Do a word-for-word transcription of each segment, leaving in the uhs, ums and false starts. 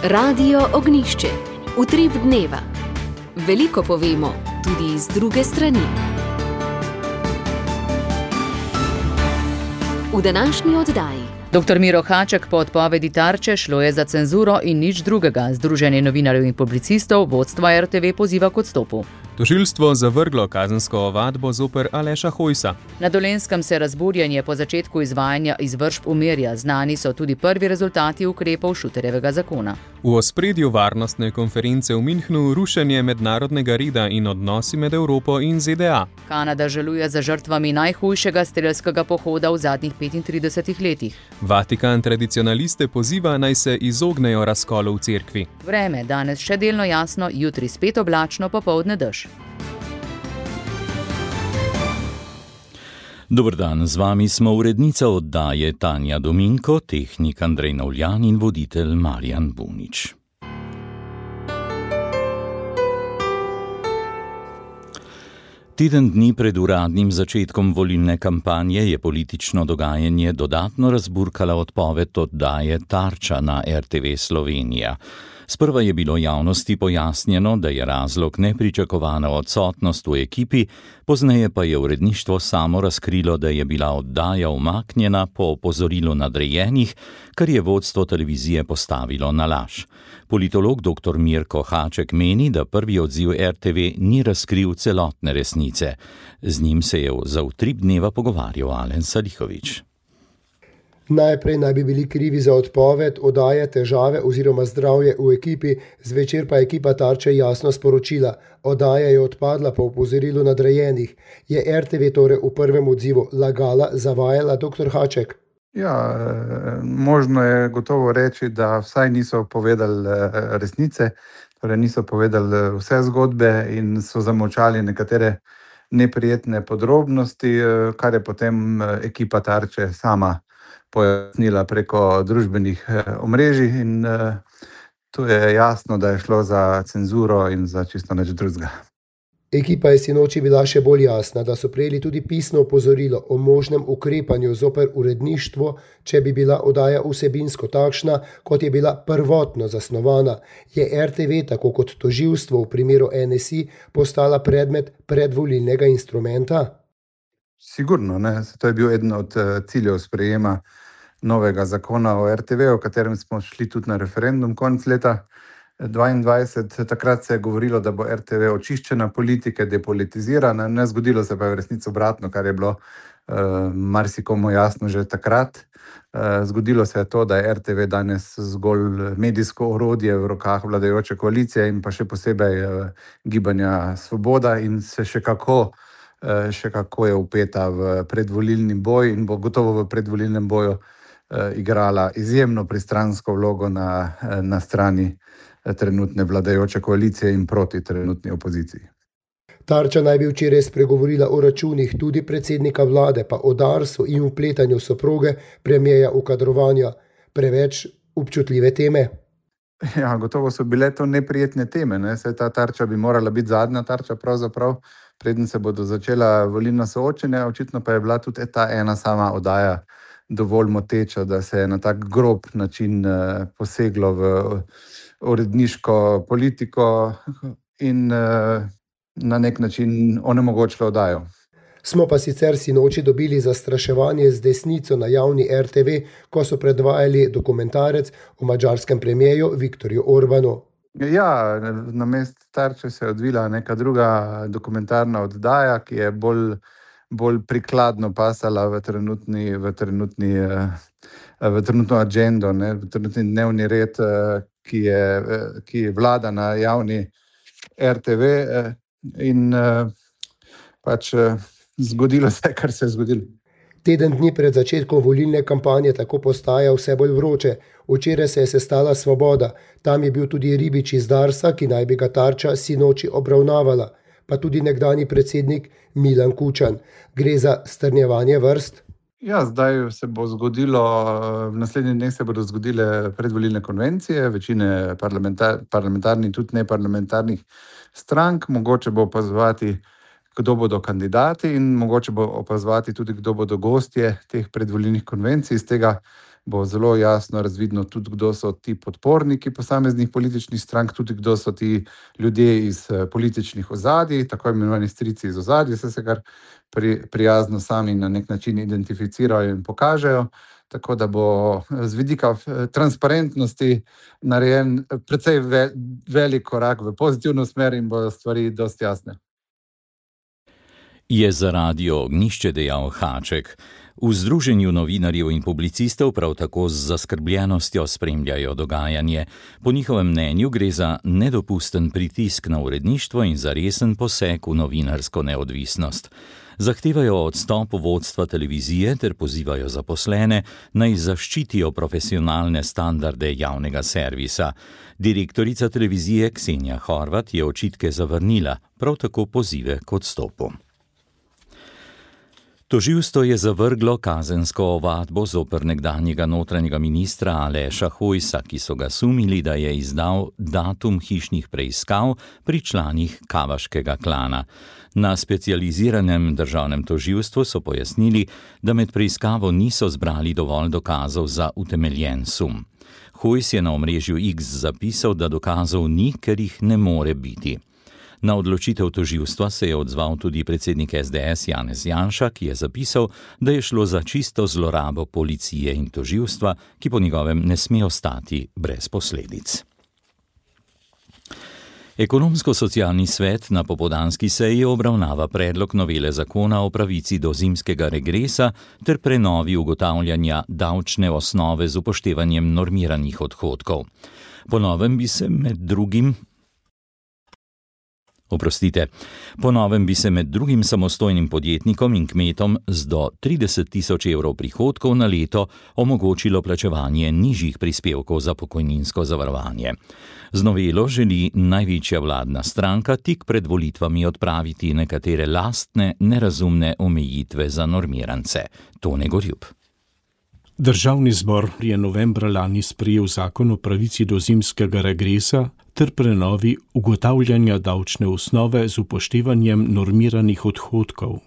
Radio Ognjišče. Utrip dneva. Veliko povemo, tudi z druge strani. V današnji oddaji. Doktor Miro Haček po odpovedi Tarče šlo je za cenzuro in nič drugega. Združenje novinarjev in publicistov vodstva er te ve poziva k odstopu. Tožilstvo zavrglo kazensko ovadbo zoper Aleša Hojsa. Na Dolenjskem se razburjenje po začetku izvajanja izvršb umirja. Znani so tudi prvi rezultati ukrepov Šuterjevega zakona. V ospredju varnostne konference v Münchnu rušenje mednarodnega reda in odnosi med Evropo in ze de a. Kanada žaluje za žrtvami najhujšega strelskega pohoda v zadnjih petintridesetih letih. Vatikan tradicionaliste poziva, naj se izognejo razkolu v cerkvi. Vreme danes še delno jasno, jutri spet oblačno, popoldne dež. Dober dan, z vami smo urednica oddaje Tanja Dominko, tehnik Andrej Navljan in voditelj Marjan Bunič. Teden dni pred uradnim začetkom volilne kampanje je politično dogajanje dodatno razburkala odpoved oddaje Tarča na er te ve Slovenija. Sprva je bilo javnosti pojasnjeno, da je razlog nepričakovana odsotnost v ekipi, pozneje pa je uredništvo samo razkrilo, da je bila oddaja umaknjena po opozorilu nadrejenih, kar je vodstvo televizije postavilo na laž. Politolog doktor Mirko Haček meni, da prvi odziv er te ve ni razkril celotne resnice. Z njim se je za utrip dneva pogovarjal Alen Salihović. Najprej naj bi bili krivi za odpoved oddaje težave oziroma zdravje v ekipi, zvečer pa ekipa Tarče jasno sporočila. Oddaja je odpadla po opozorilu nadrejenih. Je er te ve torej v prvem odzivu lagala, zavajala, doktor Haček? Ja, možno je gotovo reči, da vsaj niso povedali resnice, torej niso povedali vse zgodbe in so zamolčali nekatere neprijetne podrobnosti, kar je potem ekipa Tarče sama pojasnila preko družbenih omrežij in tu je jasno, da je šlo za cenzuro in za čisto nič drugega. Ekipa je sinoči bila še bolj jasna, da so prejeli tudi pisno opozorilo o možnem ukrepanju zoper uredništvo, če bi bila oddaja vsebinsko takšna, kot je bila prvotno zasnovana. Je er te ve, tako kot tožilstvo v primeru en es i, postala predmet predvolilnega instrumenta? Sigurno, ne. To je bil eden od ciljev sprejema novega zakona o er te ve, o katerem smo šli tudi na referendum konec leta dvaindvajset. Takrat se je govorilo, da bo er te ve očiščena politike, depolitizirana. Ne, zgodilo se pa je v resnici obratno, kar je bilo uh, marsikomu jasno že takrat. Uh, zgodilo se je to, da je er te ve danes zgolj medijsko orodje v rokah vladajoče koalicije in pa še posebej uh, gibanja Svoboda in se še kako še kako je vpeta v predvolilni boj in bo gotovo v predvolilnem boju igrala izjemno pristransko vlogo na, na strani trenutne vladajoče koalicije in proti trenutni opoziciji. Tarča naj bi včeraj spregovorila o računih tudi predsednika vlade, pa o Darsu in vpletanju soproge premierja v kadrovanja. Preveč občutljive teme? Ja, gotovo so bile to neprijetne teme. Ne? Saj ta Tarča bi morala biti zadnja Tarča pravzaprav, preden se bodo začela volilna soočenja, očitno pa je bila tudi ta ena sama oddaja dovolj moteča, da se je na tak grob način poseglo v uredniško politiko in na nek način onemogočilo oddajo. Smo pa sicer sinoči dobili zastraševanje z desnico na javni er te ve, ko so predvajali dokumentarec o madžarskem premierju Viktorju Orbanu. Ja, na mestu Tarče se je odvila neka druga dokumentarna oddaja, ki je bolj, bolj prikladno pasala v trenutni, v trenutni, v trenutno agendo, ne, v trenutni dnevni red, ki je, ki vlada na javni er te ve in pač zgodilo se, kar se je zgodilo. Teden dni pred začetkom volilne kampanje tako postaja vse bolj vroče. Včeraj se je sestala Svoboda. Tam je bil tudi Ribič iz Darsa, ki naj bi ga Tarča sinoči obravnavala. Pa tudi nekdanji predsednik Milan Kučan. Gre za strnjevanje vrst? Ja, zdaj se bo zgodilo, v naslednjih dneh se bodo zgodile predvolilne konvencije, večine parlamentar, parlamentarnih, tudi neparlamentarnih strank. Mogoče bo opazovati, kdo bodo kandidati in mogoče bo opazovati tudi, kdo bodo gostje teh predvolilnih konvencij. Iz tega bo zelo jasno razvidno tudi, kdo so ti podporniki posameznih političnih strank, tudi kdo so ti ljudje iz političnih ozadij, tako imenovani strici iz ozadij, se se kar pri, prijazno sami na nek način identificirajo in pokažejo. Tako da bo z vidika transparentnosti narejen precej ve, velik korak v pozitivno smer in bodo stvari dosti jasne. Je za Radio Ognjišče dejal Haček. V Združenju novinarjev in publicistov prav tako z zaskrbljenostjo spremljajo dogajanje. Po njihovem mnenju gre za nedopusten pritisk na uredništvo in za resen poseg v novinarsko neodvisnost. Zahtevajo odstop vodstva televizije ter pozivajo zaposlene, naj zaščitijo profesionalne standarde javnega servisa. Direktorica televizije Ksenija Horvat je očitke zavrnila, prav tako pozive k odstopu. Tožilstvo je zavrglo kazensko ovadbo zoper nekdanjega notranjega ministra Aleša Hojsa, ki so ga sumili, da je izdal datum hišnih preiskav pri članih Kavaškega klana. Na specializiranem državnem tožilstvu so pojasnili, da med preiskavo niso zbrali dovolj dokazov za utemeljen sum. Hojs je na omrežju X zapisal, da dokazov ni, ker jih ne more biti. Na odločitev tožilstva se je odzval tudi predsednik S D S Janez Janša, ki je zapisal, da je šlo za čisto zlorabo policije in tožilstva, ki po njegovem ne sme ostati brez posledic. Ekonomsko-socialni svet na popoldanski seji obravnava predlog novele zakona o pravici do zimskega regresa ter prenovi ugotavljanja davčne osnove z upoštevanjem normiranih odhodkov. Po novem bi se med drugim Oprostite, po novem bi se med drugim samostojnim podjetnikom in kmetom z do trideset tisoč evrov prihodkov na leto omogočilo plačevanje nižjih prispevkov za pokojninsko zavarovanje. Z novelo želi največja vladna stranka tik pred volitvami odpraviti nekatere lastne, nerazumne omejitve za normirance. Tone Gorjup. Državni zbor je novembra lani sprejel zakon o pravici do zimskega regresa ter prenovi ugotavljanja davčne osnove z upoštevanjem normiranih odhodkov.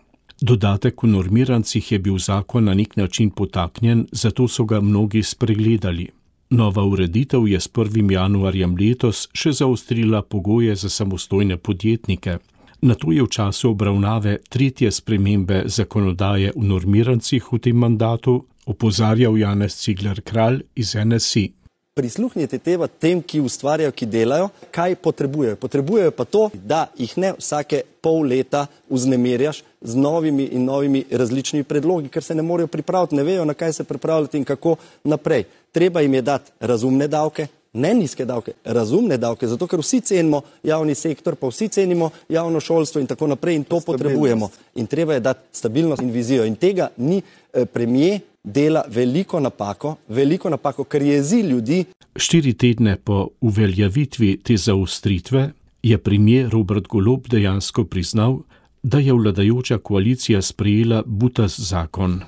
Dodatek v normirancih je bil zakon na nek način potaknjen, zato so ga mnogi spregledali. Nova ureditev je s prvim januarjem letos še zaostrila pogoje za samostojne podjetnike. Nato je v času obravnave tretje spremembe zakonodaje v normirancih v tem mandatu opozarjal Janez Cigler Kralj iz N S I. Prisluhnite teba tem, ki ustvarjajo, ki delajo, kaj potrebujejo. Potrebujejo pa to, da jih ne vsake pol leta vznemirjaš z novimi in novimi različnimi predlogi, ker se ne morejo pripraviti, ne vejo, na kaj se pripravljati in kako naprej. Treba jim je dati razumne davke, ne nizke davke, razumne davke, zato ker vsi cenimo javni sektor, pa vsi cenimo javno šolstvo in tako naprej in to potrebujemo. In treba je dati stabilnost in vizijo in tega ni eh, premier dela veliko napako, veliko napako, ker jezi ljudi. Štiri tedne po uveljavitvi te zaostritve je premier Robert Golob dejansko priznal, da je vladajoča koalicija sprejela butast zakon.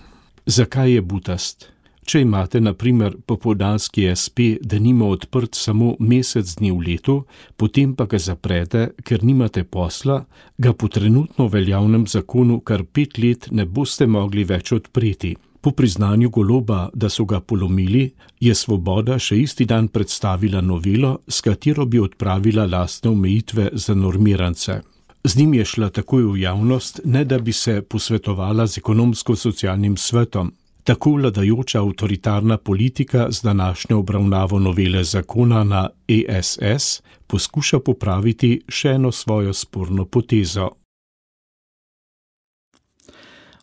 Zakaj je butast? Če imate na primer popoldanski S P denimo odprt samo mesec dni v letu, potem pa ga zaprete, ker nimate posla, ga po trenutno veljavnem zakonu kar pet let ne boste mogli več odpreti. Po priznanju Goloba, da so ga polomili, je Svoboda še isti dan predstavila novelo, s katero bi odpravila lastne omejitve za normirance. Z njim je šla takoj v javnost, ne da bi se posvetovala z ekonomsko-socialnim svetom. Tako vladajoča avtoritarna politika z današnjo obravnavo novele zakona na E S S poskuša popraviti še eno svojo sporno potezo.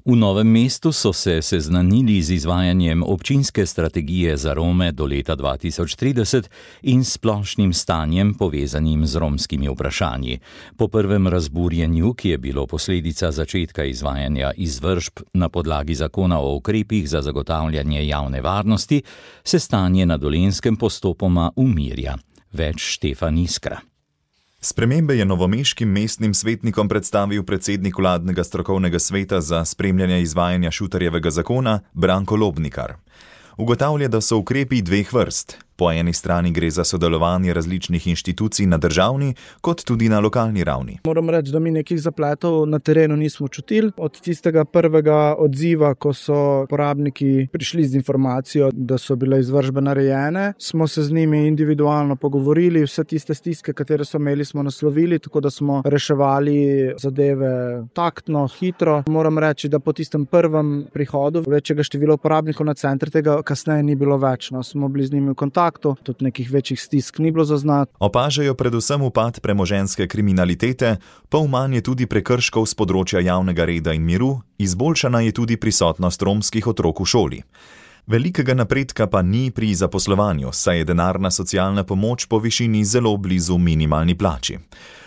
V Novem mestu so se seznanili z izvajanjem občinske strategije za Rome do leta dva tisoč trideset in splošnim stanjem povezanim z romskimi vprašanji. Po prvem razburjenju, ki je bilo posledica začetka izvajanja izvršb na podlagi zakona o ukrepih za zagotavljanje javne varnosti, se stanje na Dolenjskem postopoma umirja. Več Štefan Iskra. Spremembe je novomeškim mestnim svetnikom predstavil predsednik vladnega strokovnega sveta za spremljanje izvajanja Šutarjevega zakona Branko Lobnikar. Ugotavlja, da so ukrepi dveh vrst. Po eni strani gre za sodelovanje različnih inštitucij na državni, kot tudi na lokalni ravni. Moram reči, da mi nekih zapletov na terenu nismo čutili. Od tistega prvega odziva, ko so uporabniki prišli z informacijo, da so bile izvršbe narejene, smo se z njimi individualno pogovorili, vse tiste stiske, katere so imeli, smo naslovili, tako da smo reševali zadeve taktno, hitro. Moram reči, da po tistem prvem prihodu večjega števila uporabnikov na center tega kasneje ni bilo več. No, smo bili z njimi v kontaktu. Tudi nekih večjih stisk ni bilo zaznati. Opažajo predvsem upad premoženjske kriminalitete, pol manj je tudi prekrškov z področja javnega reda in miru, izboljšana je tudi prisotnost romskih otrok v šoli. Velikega napredka pa ni pri zaposlovanju, saj je denarna socialna pomoč po višini zelo blizu minimalni plači.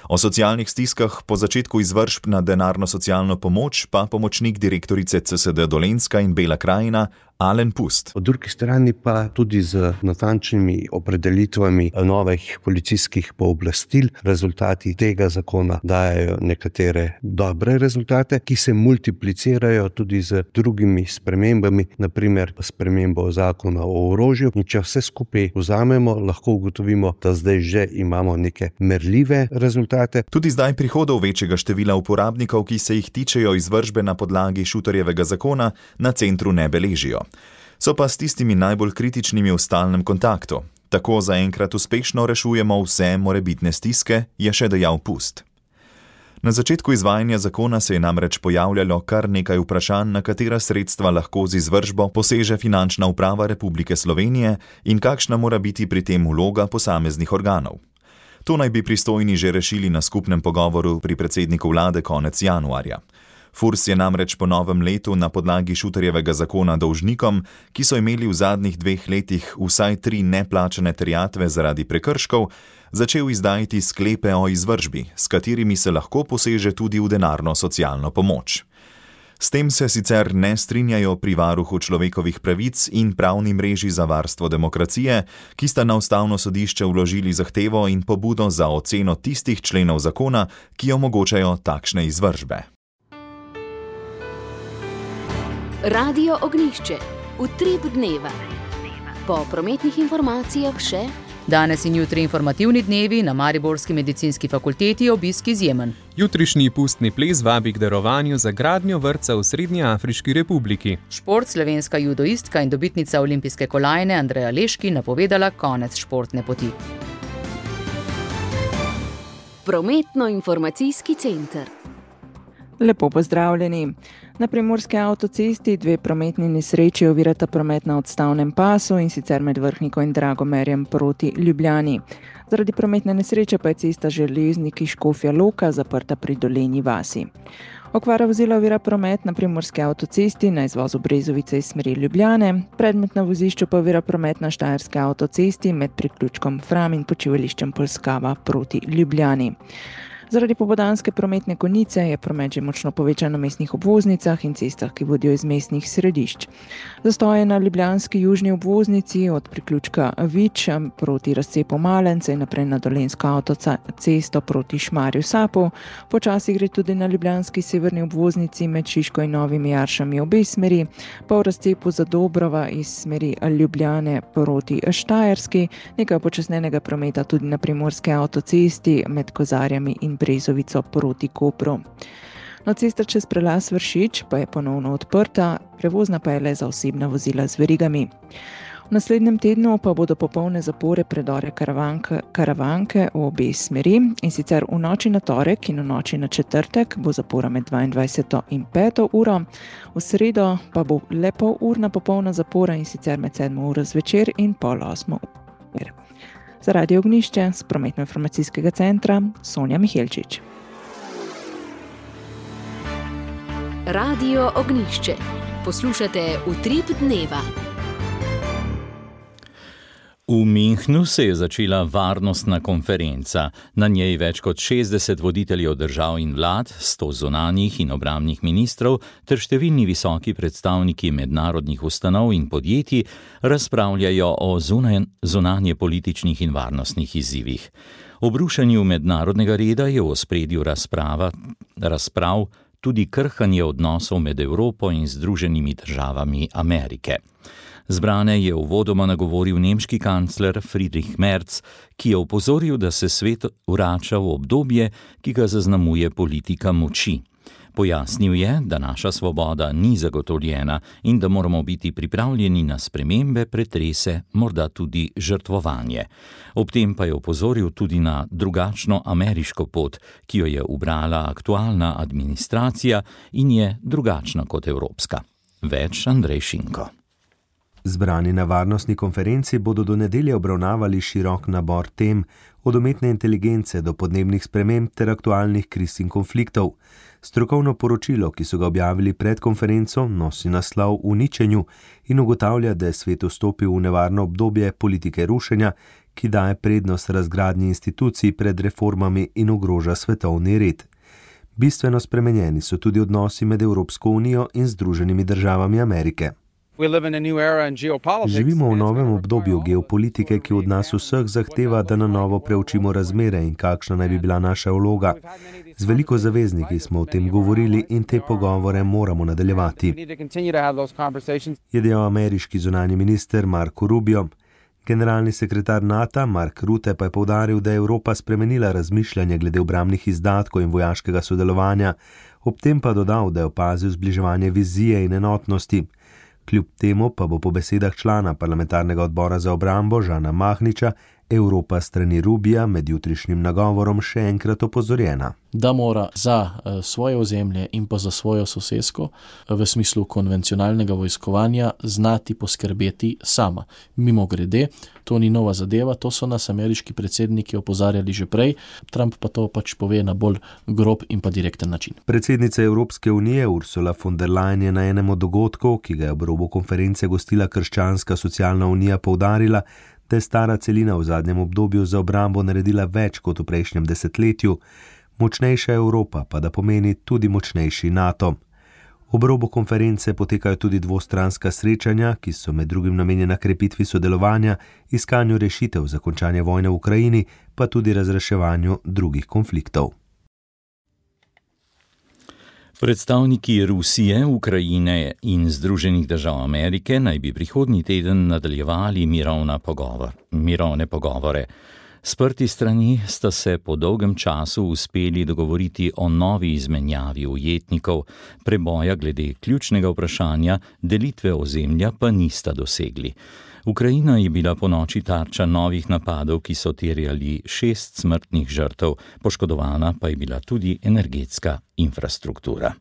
O socialnih stiskah po začetku izvršb na denarno socialno pomoč pa pomočnik direktorice C S D Dolenjska in Bela krajina Alen Pust. Po drugi strani pa tudi z natančnimi opredelitvami novih policijskih pooblastil. Rezultati tega zakona dajejo nekatere dobre rezultate, ki se multiplicirajo tudi z drugimi spremembami, naprimer spremembo zakona o orožju. In če vse skupaj vzamemo, lahko ugotovimo, da zdaj že imamo neke merljive rezultate. Tudi zdaj prihodov večjega števila uporabnikov, ki se jih tičejo izvršbe na podlagi Šutarjevega zakona, na centru ne beležijo. So pa s tistimi najbolj kritičnimi v stalnem kontaktu. Tako zaenkrat uspešno rešujemo vse morebitne stiske, je še dejal Pust. Na začetku izvajanja zakona se je namreč pojavljalo kar nekaj vprašanj, na katera sredstva lahko z izvršbo poseže Finančna uprava Republike Slovenije in kakšna mora biti pri tem vloga posameznih organov. To naj bi pristojni že rešili na skupnem pogovoru pri predsedniku vlade konec januarja. Furs je namreč po novem letu na podlagi Šutarjevega zakona dolžnikom, ki so imeli v zadnjih dveh letih vsaj tri neplačane terjatve zaradi prekrškov, začel izdajati sklepe o izvršbi, s katerimi se lahko poseže tudi v denarno socialno pomoč. S tem se sicer ne strinjajo pri varuhu človekovih pravic in pravni mreži za varstvo demokracije, ki sta na ustavno sodišče vložili zahtevo in pobudo za oceno tistih členov zakona, ki omogočajo takšne izvršbe. Radio Ognjišče, utrip dneva. Po prometnih informacijah še... Danes in jutri informativni dnevi, na Mariborski medicinski fakulteti obisk izjemen. Jutrišnji pustni ples vabi k darovanju za gradnjo vrtca v Srednjeafriški republiki. Šport, slovenska judoistka in dobitnica olimpijske kolajne Andreja Leški napovedala konec športne poti. Prometno-informacijski center. Lepo pozdravljeni. Na primorski avtocesti dve prometni nesreči ovirata promet na odstavnem pasu, in sicer med Vrhniko in Dragomerjem proti Ljubljani. Zaradi prometne nesreče pa je cesta Železniki Škofja Loka zaprta pri Dolenji vasi. Okvara vozila ovira promet na primorski avtocesti na izvozu Brezovice iz smeri Ljubljane, predmet na vozišču pa ovira promet na Štajerski avtocesti med priključkom Fram in počivališčem Polskava proti Ljubljani. Zaradi popoldanske prometne konice je promet že močno povečan na mestnih obvoznicah in cestah, ki vodijo iz mestnih središč. Zastoje na ljubljanski južni obvoznici od priključka Vič proti razcepu Malence in naprej na Dolenjsko avtocesto proti Šmarju Sapu. Počasi gre tudi na ljubljanski severni obvoznici med Šiško in Novimi Jaršami obe smeri, pa v razcepu Zadobrova iz smeri Ljubljane proti Štajerski, nekaj počasnenega prometa tudi na primorski avtocesti med Kozarjami in Brezovico proti Kopru. No, cesta čez prelaz Vršič pa je ponovno odprta, prevozna pa je le za osebna vozila z verigami. V naslednjem tednu pa bodo popolne zapore predore karavanke, karavanke v obe smeri, in sicer v noči na torek in v noči na četrtek bo zapora med dvaindvajseto in peto uro, v sredo pa bo le pol urna popolna zapora, in sicer med sedmo uro zvečer in pol osmo uro. Za Radio Ognjišče z prometno-informacijskega centra Sonja Mihelčič. Radio Ognjišče. Poslušate utrip dneva. V Münchnu se je začela varnostna konferenca. Na njej več kot šestdeset voditeljev držav in vlad, sto zunanjih in obrambnih ministrov ter številni visoki predstavniki mednarodnih ustanov in podjetij razpravljajo o zunanje političnih in varnostnih izzivih. O brušenju mednarodnega reda je v ospredju razprava, razprav tudi krhanje odnosov med Evropo in Združenimi državami Amerike. Zbrane je uvodoma nagovoril nemški kancler Friedrich Merz, ki je opozoril, da se svet vrača v obdobje, ki ga zaznamuje politika moči. Pojasnil je, da naša svoboda ni zagotovljena in da moramo biti pripravljeni na spremembe, pretrese, morda tudi žrtvovanje. Ob tem pa je opozoril tudi na drugačno ameriško pot, ki jo je ubrala aktualna administracija in je drugačna kot evropska. Več Andrej Šinko. Zbrani na varnostni konferenci bodo do nedelje obravnavali širok nabor tem, od umetne inteligence do podnebnih sprememb ter aktualnih kriz in konfliktov. Strokovno poročilo, ki so ga objavili pred konferenco, nosi naslov Uničenju in ugotavlja, da je svet vstopil v nevarno obdobje politike rušenja, ki daje prednost razgradnji institucij pred reformami in ogroža svetovni red. Bistveno spremenjeni so tudi odnosi med Evropsko unijo in Združenimi državami Amerike. Živimo v novem obdobju geopolitike, ki od nas vseh zahteva, da na novo preučimo razmere in kakšna naj bi bila naša vloga. Z veliko zavezniki smo o tem govorili in te pogovore moramo nadaljevati, je dejal ameriški zunanji minister Marco Rubio. Generalni sekretar NATO Mark Rutte pa je poudaril, da je Evropa spremenila razmišljanje glede obrambnih izdatkov in vojaškega sodelovanja, ob tem pa dodal, da je opazil zbliževanje vizije in enotnosti. Kljub temu pa bo po besedah člana parlamentarnega odbora za obrambo Žana Mahniča Evropa strani Rubija med jutrišnjim nagovorom še enkrat opozorjena. Da mora za svoje ozemlje in pa za svojo sosesko v smislu konvencionalnega vojskovanja znati poskrbeti sama. Mimogrede, to ni nova zadeva, to so nas ameriški predsedniki opozarjali že prej, Trump pa to pač pove na bolj grob in pa direkten način. Predsednica Evropske unije Ursula von der Leyen je na enem od dogodkov, ki ga je ob robu konference gostila Krščanska socialna unija, poudarila, da je stara celina v zadnjem obdobju za obrambo naredila več kot v prejšnjem desetletju, močnejša Evropa pa da pomeni tudi močnejši NATO. Ob robu konference potekajo tudi dvostranska srečanja, ki so med drugim namenjena krepitvi sodelovanja, iskanju rešitev za končanje vojne v Ukrajini, pa tudi razreševanju drugih konfliktov. Predstavniki Rusije, Ukrajine in Združenih držav Amerike naj bi prihodnji teden nadaljevali mirovna pogovor, mirovne pogovore. Sprti strani sta se po dolgem času uspeli dogovoriti o novi izmenjavi ujetnikov, preboja glede ključnega vprašanja, delitve ozemlja pa nista dosegli. Ukrajina je bila ponoči tarča novih napadov, ki so terjali šest smrtnih žrtev, poškodovana pa je bila tudi energetska infrastruktura.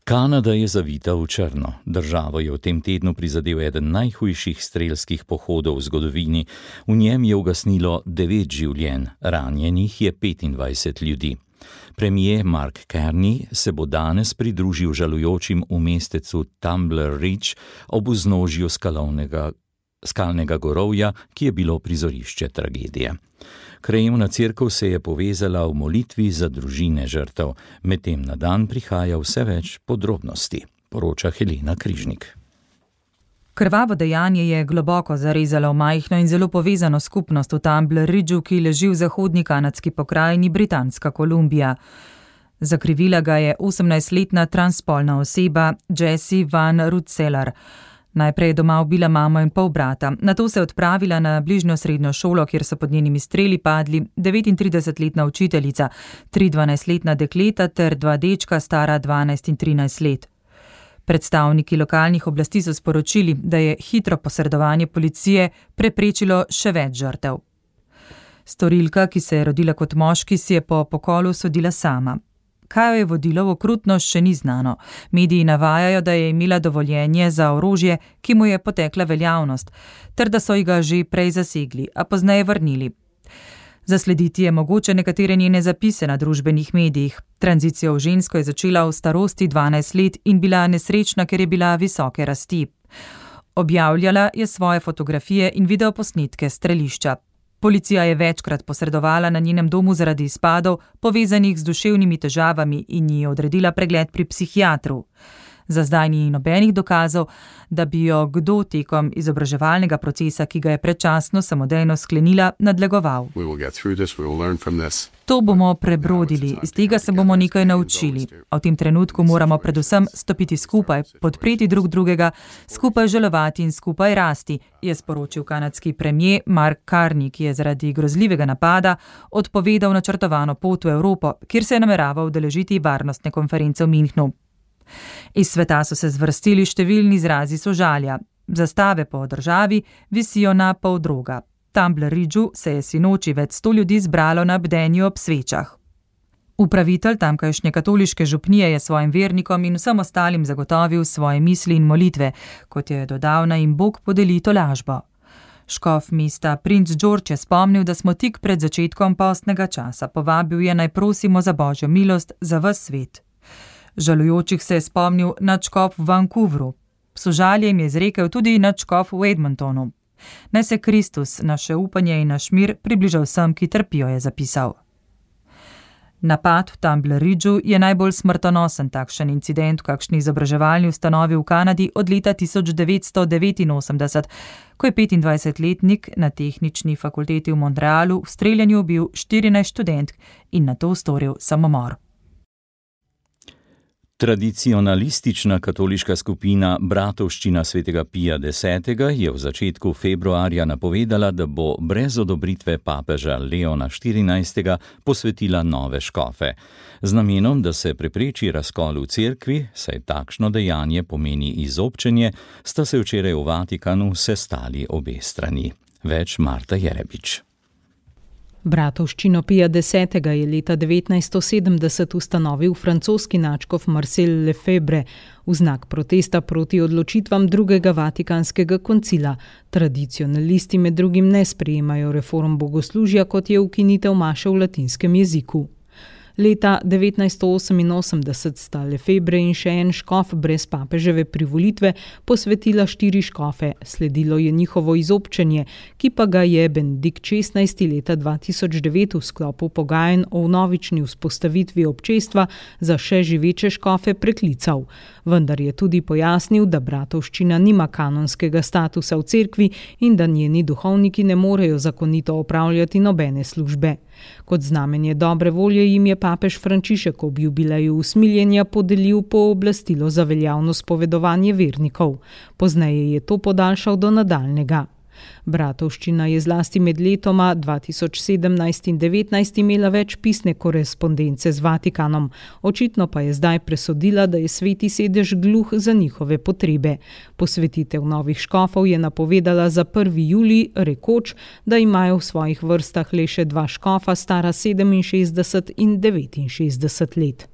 Kanada je zavita v črno. Državo je v tem tednu prizadel eden najhujših strelskih pohodov v zgodovini. V njem je ugasnilo devet življenj, ranjenih je petindvajset ljudi. Premier Mark Carney se bo danes pridružil žalujočim v mestecu Tumbler Ridge ob vznožju skalovnega, skalnega gorovja, ki je bilo prizorišče tragedije. Krajevna cerkev se je povezala v molitvi za družine žrtev, medtem na dan prihaja vse več podrobnosti, poroča Helena Križnik. Krvavo dejanje je globoko zarezalo v majhno in zelo povezano skupnost v Tumbler Ridgeu, ki leži v zahodni kanadski pokrajini Britanska Kolumbija. Zakrivila ga je osemnajstletna transspolna oseba Jessie Van Rutselar. Najprej je doma ubila mamo in pol brata, nato se je odpravila na bližnjo srednjo šolo, kjer so pod njenimi streli padli devetintridesetletna učiteljica, tri dvanajstletna dekleta ter dva dečka stara dvanajst in trinajst let. Predstavniki lokalnih oblasti so sporočili, da je hitro posredovanje policije preprečilo še več žrtev. Storilka, ki se je rodila kot moški, si je po pokolu sodila sama. Kaj jo je vodilo v okrutnost, še ni znano. Mediji navajajo, da je imela dovoljenje za orožje, ki mu je potekla veljavnost, ter da so ji ga že prej zasegli, a pozneje vrnili. Zaslediti je mogoče nekatere njene zapise na družbenih medijih. Tranzicijo v žensko je začela v starosti dvanajst let in bila nesrečna, ker je bila visoke rasti. Objavljala je svoje fotografije in videoposnetke strelišča. Policija je večkrat posredovala na njenem domu zaradi izpadov, povezanih z duševnimi težavami, in ji odredila pregled pri psihiatru. Za zdaj ni nobenih dokazov, da bi jo kdo tekom izobraževalnega procesa, ki ga je predčasno samodejno sklenila, nadlegoval. To bomo prebrodili, iz tega se bomo nekaj naučili. A v tem trenutku moramo predvsem stopiti skupaj, podpreti drug drugega, skupaj žalovati in skupaj rasti, je sporočil kanadski premier Mark Carney, ki je zaradi grozljivega napada odpovedal načrtovano pot v Evropo, kjer se je nameraval udeležiti varnostne konference v Münchnu. Iz sveta so se zvrstili številni izrazi sožalja. Zastave po državi visijo na pol droga. Tumbler Ridgeu se je sinoči več sto ljudi zbralo na bdenju ob svečah. Upravitelj tamkajšnje katoliške župnije je svojim vernikom in vsem ostalim zagotovil svoje misli in molitve, kot je dodal, naj jim Bog podeli tolažbo. Škof mesta Prince George je spomnil, da smo tik pred začetkom postnega časa. Povabil je, naj prosimo za Božjo milost za ves svet. Žalujočih se je spomnil nadškof v Vancouveru. Sožalje jim je izrekel tudi nadškof v Edmontonu. Naj se Kristus, naše upanje in naš mir približa vsem, ki trpijo, je zapisal. Napad v Tumbler Ridgeu je najbolj smrtonosen takšen incident v kakšni izobraževalni ustanovi v Kanadi od leta tisoč devetsto devetinosemdeset, ko je petindvajsetletnik na tehnični fakulteti v Montrealu v streljanju ubil štirinajst študentk in nato storil samomor. Tradicionalistična katoliška skupina Bratovščina svetega Pija desetega je v začetku februarja napovedala, da bo brez odobritve papeža Leona štirinajstega posvetila nove škofe. Z namenom, da se prepreči razkol v cerkvi, saj takšno dejanje pomeni izobčenje, sta se včeraj v Vatikanu sestali obe strani. Več Marta Jerebič. Bratovščino Pija desetega je leta devetnajststo sedemdeset ustanovil francoski nadškof Marcel Lefebvre v znak protesta proti odločitvam drugega vatikanskega koncila. Tradicionalisti med drugim ne sprejemajo reform bogoslužja, kot je ukinitev maše v latinskem jeziku. Leta devetnajststo oseminosemdeset sta Lefebvre in še en škof brez papeževe privolitve posvetila štiri škofe. Sledilo je njihovo izobčenje, ki pa ga je Benedikt šestnajsti leta dva tisoč devet v sklopu pogajanj o vnovični vzpostavitvi občestva za še živeče škofe preklical. Vendar je tudi pojasnil, da bratovščina nima kanonskega statusa v cerkvi in da njeni duhovniki ne morejo zakonito opravljati nobene službe. Kot znamenje dobre volje jim je papež Frančišek ob jubileju usmiljenja podelil pooblastilo za veljavno spovedovanje vernikov. Pozneje je to podaljšal do nadaljnega. Bratovščina je zlasti med letoma dva tisoč sedemnajst in devetnajst imela več pisne korespondence z Vatikanom. Očitno pa je zdaj presodila, da je sveti sedež gluh za njihove potrebe. Posvetitev novih škofov je napovedala za prvi julij, rekoč, da imajo v svojih vrstah le še dva škofa, stara sedeminšestdeset in devetinšestdeset let.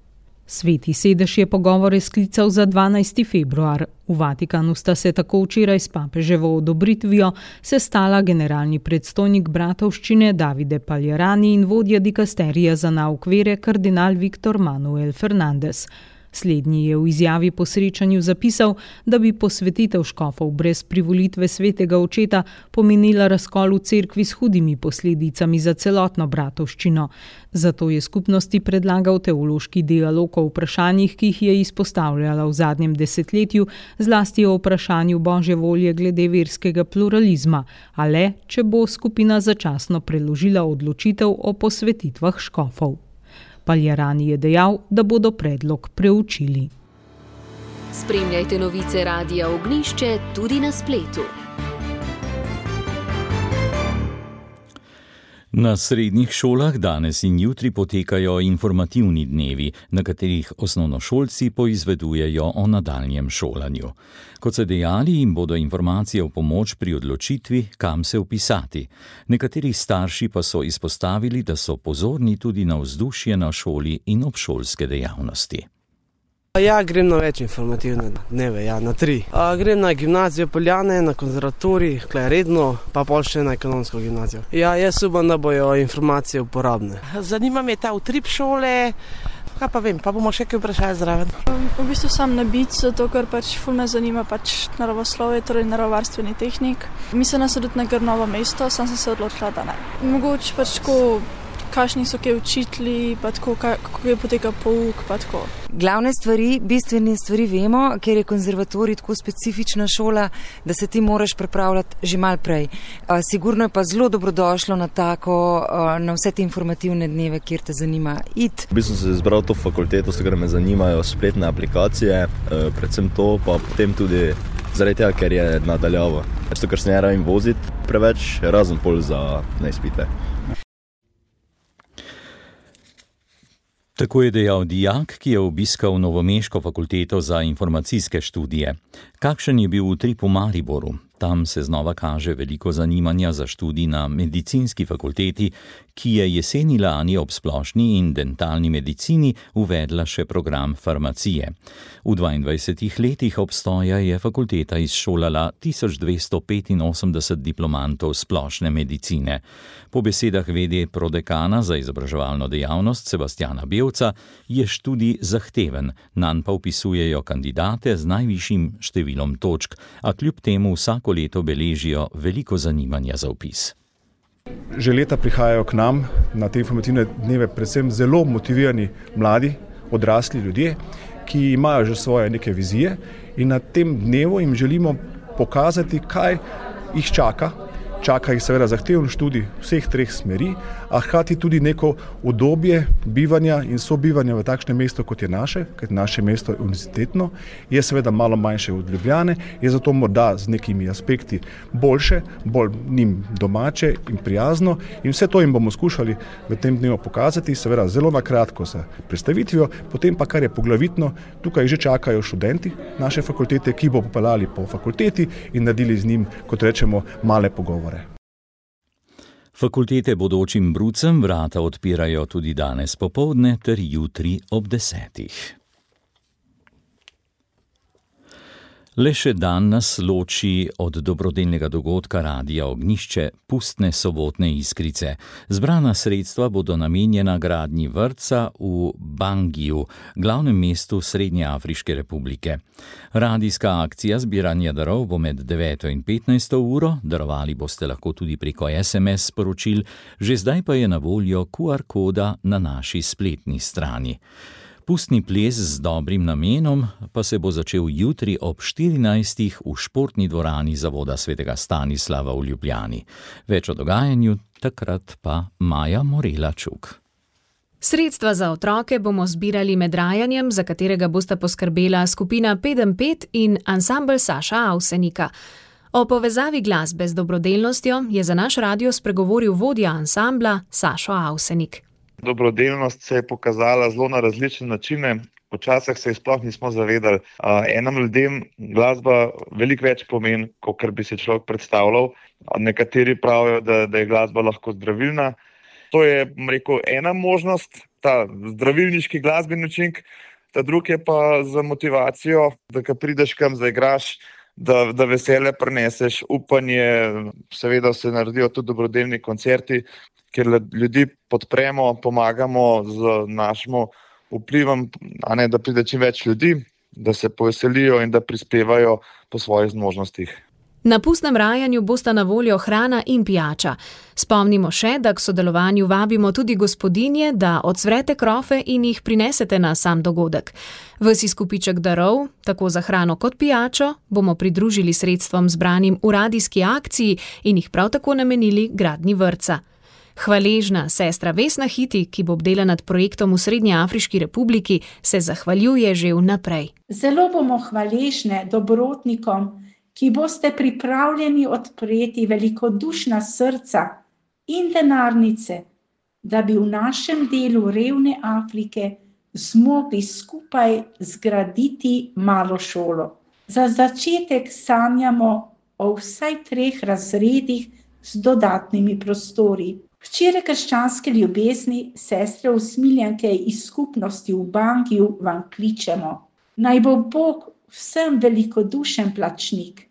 Sveti sedež je pogovore sklical za dvanajsti februar. V Vatikanu sta se tako včeraj s papeževo odobritvijo sestala generalni predstojnik bratovščine Davide Paljerani in vodja dikasterija za nauk vere kardinal Viktor Manuel Fernandez. Slednji je v izjavi po srečanju zapisal, da bi posvetitev škofov brez privolitve svetega očeta pomenila razkol v cerkvi s hudimi posledicami za celotno bratovščino. Zato je skupnosti predlagal teološki dialog o vprašanjih, ki jih je izpostavljala v zadnjem desetletju, zlasti o vprašanju Božje volje glede verskega pluralizma, a le, če bo skupina začasno preložila odločitev o posvetitvah škofov. Paljerani je dejal, da bodo predlog preučili. Spremljajte novice Radia Ognjišče tudi na spletu. Na srednjih šolah danes in jutri potekajo informativni dnevi, na katerih osnovnošolci poizvedujejo o nadaljnjem šolanju. Kot so dejali, jim bodo informacije v pomoč pri odločitvi, kam se vpisati. Nekateri starši pa so izpostavili, da so pozorni tudi na vzdušje na šoli in obšolske dejavnosti. Ja, grem na več informativne dneve, ja, na tri. A, grem na gimnazijo Poljane, na konzervatorij, klej redno, pa pol še na ekonomsko gimnazijo. Ja, jaz upam, da bojo informacije uporabne. Zanima me ta utrip šole, kaj pa vem, pa bomo še kaj vprašali zraven. V bistvu sam na bic, zato ker pač ful me zanima pač naravoslovje, torej naravovarstveni tehnik. Mislila sem tudi na Grnovo mesto, sam sem se odločila, da ne. Mogoče pač ko kakšni so kaj učitelji, pa tako, kako je poteka pouk, pa tako. Glavne stvari, bistvene stvari vemo, ker je konzervatorij tako specifična šola, da se ti moraš pripravljati že mal prej. Sigurno je pa zelo dobrodošlo na tako, na vse te informativne dneve, kjer te zanima iti. V bistvu sem se izbral to fakulteto, ker me zanimajo spletne aplikacije, predvsem to, pa potem tudi zaradi tega, ker je nadaljavo. Zato, ker se ne rabim voziti preveč, razen pol za neizpite. Tako je dejal dijak, ki je obiskal Novomeško fakulteto za informacijske študije. Kakšen je bil utrip v Mariboru? Tam se znova kaže veliko zanimanja za študij na medicinski fakulteti, ki je jeseni lani ob splošni in dentalni medicini uvedla še program farmacije. V dvaindvajsetih letih obstoja je fakulteta izšolala tisoč dvesto petinosemdeset diplomantov splošne medicine. Po besedah vede prodekana za izobraževalno dejavnost Sebastjana Bevca je študij zahteven, nanj pa vpisujejo kandidate z najvišjim številom točk, a kljub temu vsako leto beležijo veliko zanimanja za vpis. Že leta prihajajo k nam na te informativne dneve predvsem zelo motivirani mladi, odrasli ljudje, ki imajo že svoje neke vizije in na tem dnevu jim želimo pokazati, kaj jih čaka. Čaka jih seveda zahteven študij vseh treh smeri, a hkrati tudi neko udobje bivanja in sobivanja v takšnem mestu, kot je naše, ker naše mesto je univerzitetno, je seveda malo manjše od Ljubljane, je zato morda z nekimi aspekti boljše, bolj njim domače in prijazno in vse to jim bomo skušali v tem dnevu pokazati, seveda zelo na kratko s predstavitvijo, potem pa, kar je poglavitno, tukaj že čakajo študenti naše fakultete, ki bo popeljali po fakulteti in naredili z njim, kot rečemo, male pogovore. Fakultete bodočim brucem vrata odpirajo tudi danes popoldne ter jutri ob desetih. Le še dan nas loči od dobrodelnega dogodka Radia Ognjišče Pustne sobotne iskrice. Zbrana sredstva bodo namenjena gradnji vrtca v Bangiju, glavnem mestu Srednjeafriške republike. Radijska akcija zbiranja darov bo med deveto in petnajsto uro, darovali boste lahko tudi preko es em es sporočil, že zdaj pa je na voljo ku ar koda na naši spletni strani. Pustni ples z dobrim namenom pa se bo začel jutri ob štirinajstih v športni dvorani Zavoda svetega Stanislava v Ljubljani. Več o dogajanju takrat pa Maja Morela-Čuk. Sredstva za otroke bomo zbirali med rajanjem, za katerega bosta poskrbela skupina Pedem pet in ansambel Saša Avsenika. O povezavi glasbe z dobrodelnostjo je za naš radio spregovoril vodja ansambla Sašo Avsenik. Dobrodelnost se je pokazala zelo na različne načine. Včasih se je sploh nismo zavedali. Enim ljudem glasba veliko več pomeni, kot bi si človek predstavljal. Nekateri pravijo, da, da je glasba lahko zdravilna. To je, rekel, ena možnost, ta zdravilniški glasbeni učinek. Ta drug je pa za motivacijo, da ko prideš kam zaigraš, da, da veselje prineseš, upanje. Seveda se naredijo tudi dobrodelni koncerti, ker ljudi podpremo, pomagamo z našim vplivom, a ne, da pride čim več ljudi, da se poveselijo in da prispevajo po svojih zmožnostih. Na pustnem rajanju bosta na voljo hrana in pijača. Spomnimo še, da k sodelovanju vabimo tudi gospodinje, da odsvrete krofe in jih prinesete na sam dogodek. Vsi skupiček darov, tako za hrano kot pijačo, bomo pridružili sredstvom zbranim v radijski akciji in jih prav tako namenili gradnji vrtca. Hvaležna sestra Vesna Hiti, ki bo bdela nad projektom v Srednjeafriški republiki, se zahvaljuje že vnaprej. Zelo bomo hvaležne dobrotnikom, ki boste pripravljeni odpreti velikodušna srca in denarnice, da bi v našem delu revne Afrike zmogli skupaj zgraditi malo šolo. Za začetek sanjamo o vsaj treh razredih z dodatnimi prostori. Včeraj krščanske ljubezni, sestre usmiljenke iz skupnosti v Bangiju vam kličemo. Naj bo Bog vsem velikodušen plačnik.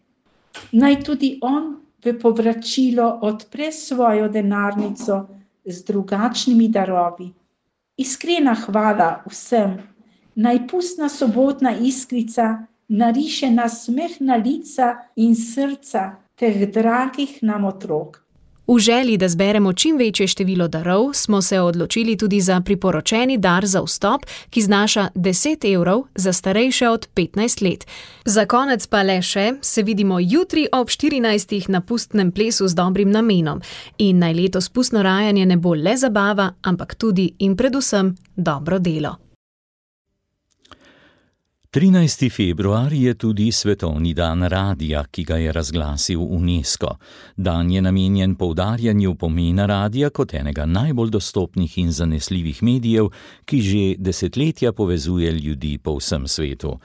Naj tudi on v povračilo odpre svojo denarnico z drugačnimi darovi. Iskrena hvala vsem. Naj pustna sobotna iskrica nariše nasmeh na lica in srca teh dragih nam otrok. V V želji, da zberemo čim večje število darov, smo se odločili tudi za priporočeni dar za vstop, ki znaša deset evrov za starejše od petnajst let. Za konec pa le še, se vidimo jutri ob štirinajstih na pustnem plesu z dobrim namenom. In naj letos pustno rajanje ne bo le zabava, ampak tudi in predvsem dobro delo. trinajsti februar je tudi svetovni dan radija, ki ga je razglasil UNESCO. Dan je namenjen poudarjanju pomena radija kot enega najbolj dostopnih in zanesljivih medijev, ki že desetletja povezuje ljudi po vsem svetu.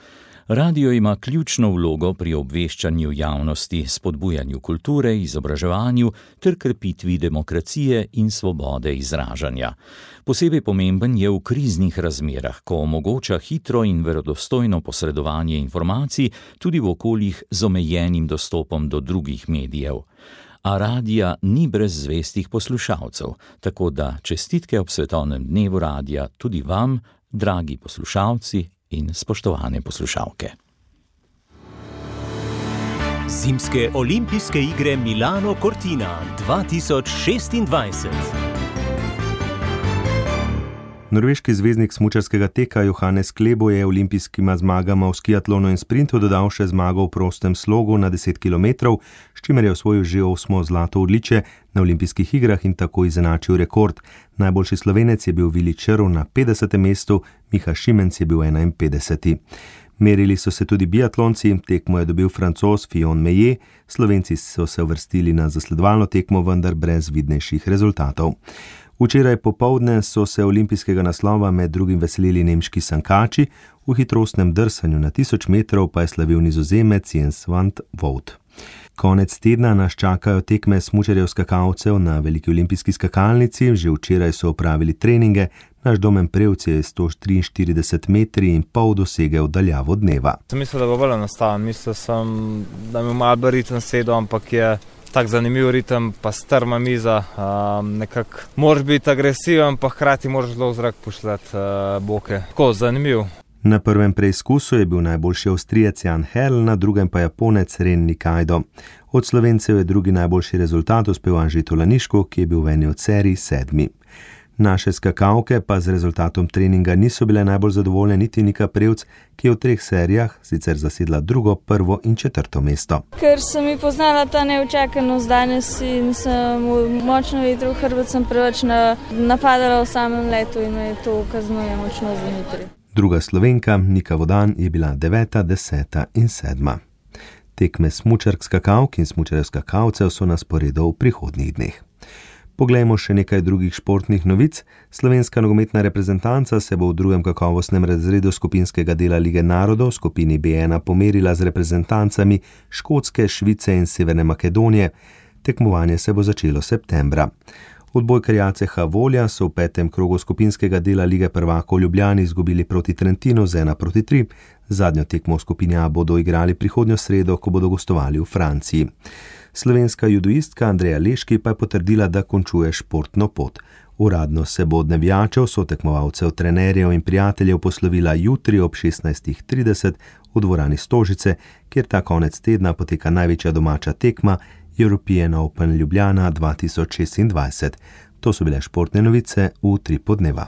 Radio ima ključno vlogo pri obveščanju javnosti, spodbujanju kulture, izobraževanju ter krepitvi demokracije in svobode izražanja. Posebej pomemben je v kriznih razmerah, ko omogoča hitro in verodostojno posredovanje informacij tudi v okoljih z omejenim dostopom do drugih medijev. A radija ni brez zvestih poslušalcev, tako da čestitke ob svetovnem dnevu radija tudi vam, dragi poslušalci in spoštovane poslušalke. Zimske olimpijske igre Milano Cortina dva tisoč šestindvajset. Norveški zvezdnik smučarskega teka Johannes Klebo je olimpijskima zmagama v skiatlonu in sprintu dodal še zmago v prostem slogu na deset kilometrov, s čimer je osvojil že osmo zlato odličje na olimpijskih igrah in tako izenačil rekord. Najboljši Slovenec je bil Vili Črv na petdesetem mestu, Miha Šimenc je bil enainpetdeseti. Merili so se tudi biatlonci, tekmo je dobil Francoz Fillon Maillet, Slovenci so se uvrstili na zasledovalno tekmo, vendar brez vidnejših rezultatov. Včeraj popoldne so se olimpijskega naslova med drugim veselili nemški sankači, v hitrostnem drsanju na tisoč metrov pa je slavil Nizozemec Jens van 't Voort. Konec tedna nas čakajo tekme smučarjev skakalcev na veliki olimpijski skakalnici, že včeraj so opravili treninge, naš Domen Prevc je sto triinštirideset metri in pol dosegel daljavo dneva. Sem mislil, da bo bolj enostaven, mislil sem, da mi malo bolj ritem sedel, ampak je tak zanimiv ritem, pa strma miza, um, nekako moraš biti agresiven, pa hkrati moraš zelo v zrak pošljati uh, boke. Tako, zanimiv. Na prvem preizkusu je bil najboljši Avstrijec Jan Herl, na drugem pa Japonec Ren Nikaido. Od Slovencev je drugi najboljši rezultat uspel Anže Tolaniško, ki je bil v eni od serij sedmi. Naše skakalke pa z rezultatom treninga niso bile najbolj zadovoljne niti Nika Prevc, ki je v treh serijah sicer zasedla drugo, prvo in četrto mesto. Ker sem mi poznala ta neučakanost danes in sem močno vetril hrbet, sem preveč napadala v samem letu in me to kaznuje močno za jutri. Druga Slovenka, Nika Vodan, je bila deveta, deseta in sedma. Tekme smučark skakalk in smučarjev skakalcev so na sporedu v prihodnjih dneh. Poglejmo še nekaj drugih športnih novic. Slovenska nogometna reprezentanca se bo v drugem kakovostnem razredu skupinskega dela Lige narodov v skupini B ena pomerila z reprezentancami Škotske, Švice in Severne Makedonije. Tekmovanje se bo začelo septembra. Odbojkarji C H Volja so v petem krogu skupinskega dela Lige prvakov v Ljubljani izgubili proti Trentinu z ena proti tri. Zadnjo tekmo v skupini A bodo igrali prihodnjo sredo, ko bodo gostovali v Franciji. Slovenska judoistka Andreja Leški pa je potrdila, da končuje športno pot. Uradno se bo od navijačev, sotekmovalcev, trenerjev in prijateljev poslovila jutri ob šestnajstih trideset v dvorani Stožice, kjer ta konec tedna poteka največja domača tekma European Open Ljubljana dva tisoč šestindvajset. To so bile športne novice v tri podneva.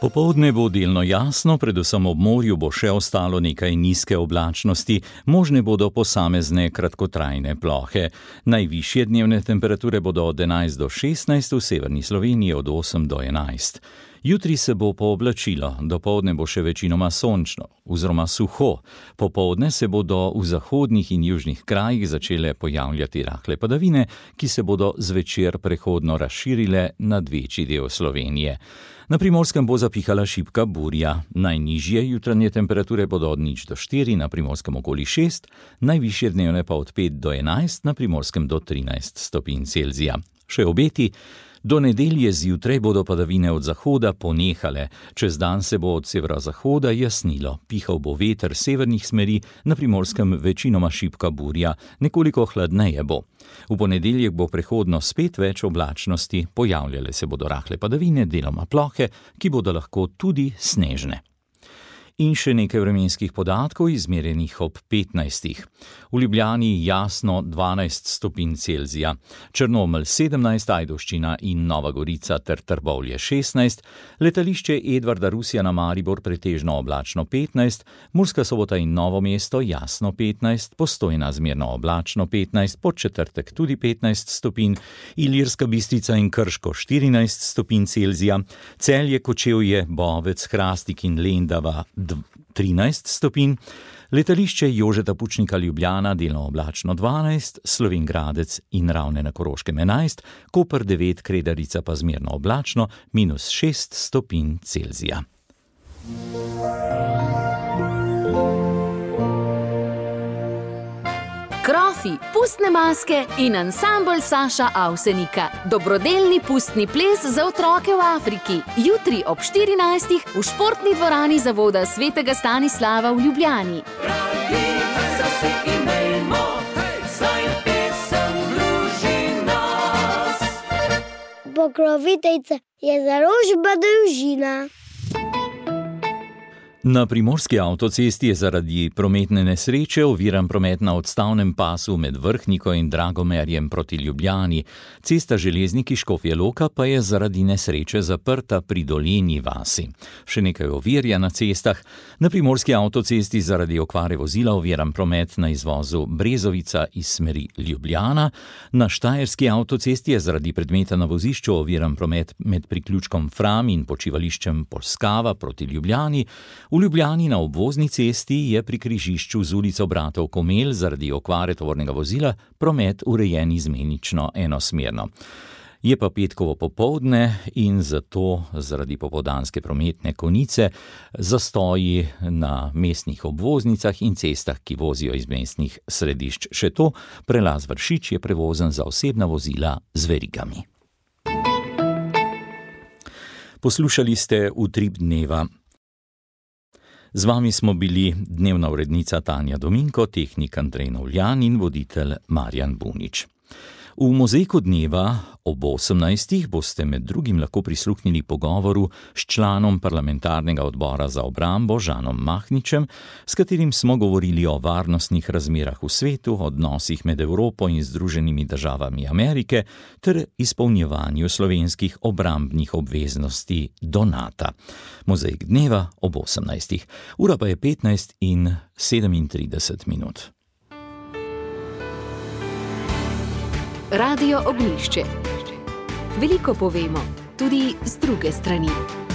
Popoldne bo delno jasno, predvsem ob morju bo še ostalo nekaj nizke oblačnosti, možne bodo posamezne kratkotrajne plohe. Najvišje dnevne temperature bodo od enajst do šestnajst, v severni Sloveniji od osem do enajst. Jutri se bo pooblačilo, dopoldne bo še večinoma sončno, oziroma suho. Popoldne se bodo v zahodnih in južnih krajih začele pojavljati rahle padavine, ki se bodo zvečer prehodno razširile nad večji del Slovenije. Na Primorskem bo zapihala šibka burja. Najnižje jutranje temperature bodo od nič do štiri, na Primorskem okoli šest, najvišje dnevne pa od pet do enajst, na Primorskem do trinajst stopinj Celzija. Še obeti. Do nedelje zjutraj bodo padavine od zahoda ponehale, čez dan se bo od severozahoda jasnilo, pihal bo veter severnih smeri, na Primorskem večinoma šibka burja, nekoliko hladneje bo. V ponedeljek bo prehodno spet več oblačnosti, pojavljale se bodo rahle padavine, deloma plohe, ki bodo lahko tudi snežne. In še nekaj vremenskih podatkov, izmerjenih ob petnajstih. V Ljubljani jasno dvanajst stopinj Celzija, Črnomelj sedemnajst, Ajdovščina in Nova Gorica ter Trbovlje šestnajst, letališče Edvarda Rusija na Maribor pretežno oblačno petnajst, Murska Sobota in Novo mesto jasno petnajst, Postojna zmerno oblačno petnajst, Podčetrtek tudi petnajst stopinj, Ilirska Bistrica in Krško štirinajst stopinj Celzija, Celje, Kočevje, Bovec, Hrastik in Lendava trinajst stopinj, letališče Jožeta Pučnika Ljubljana delno oblačno dvanajst, Slovenj Gradec in Ravne na Koroškem enajst, Koper devet, Kredarica pa zmerno oblačno minus šest stopinj Celzija. Krofi, pustne maske in ansambl Saša Avsenika. Dobrodelni pustni ples za otroke v Afriki. Jutri ob štirinajstih v športni dvorani Zavoda svetega Stanislava v Ljubljani. Pokroviteljica je založba Družina. Na Primorski avtocesti je zaradi prometne nesreče oviran promet na odstavnem pasu med Vrhniko in Dragomerjem proti Ljubljani. Cesta Železniki Škofje Loka pa je zaradi nesreče zaprta pri Dolenji vasi. Še nekaj ovir je na cestah. Na Primorski avtocesti zaradi okvare vozila oviran promet na izvozu Brezovica iz smeri Ljubljana. Na Štajerski avtocesti je zaradi predmeta na vozišču oviran promet med priključkom Fram in počivališčem Polskava proti Ljubljani. V Ljubljani na obvozni cesti je pri križišču z ulico Bratov Komel zaradi okvare tovornega vozila promet urejen izmenično enosmerno. Je pa petkovo popoldne in zato zaradi popoldanske prometne konice zastoji na mestnih obvoznicah in cestah, ki vozijo iz mestnih središč. Še to, prelaz Vršič je prevozen za osebna vozila z verigami. Poslušali ste Utrip dneva. Z vami smo bili dnevna urednica Tanja Dominko, tehnik Andrej Novljan in voditelj Marjan Bunič. V Mozaiku dneva ob osemnajstih boste med drugim lahko prisluhnili pogovoru s članom parlamentarnega odbora za obrambo Žanom Mahničem, s katerim smo govorili o varnostnih razmerah v svetu, odnosih med Evropo in Združenimi državami Amerike ter izpolnjevanju slovenskih obrambnih obveznosti do Nata. Mozaik dneva ob osemnajstih. Ura pa je petnajst in sedemintrideset minut. Radio Ognjišče. Veliko povemo, tudi z druge strani.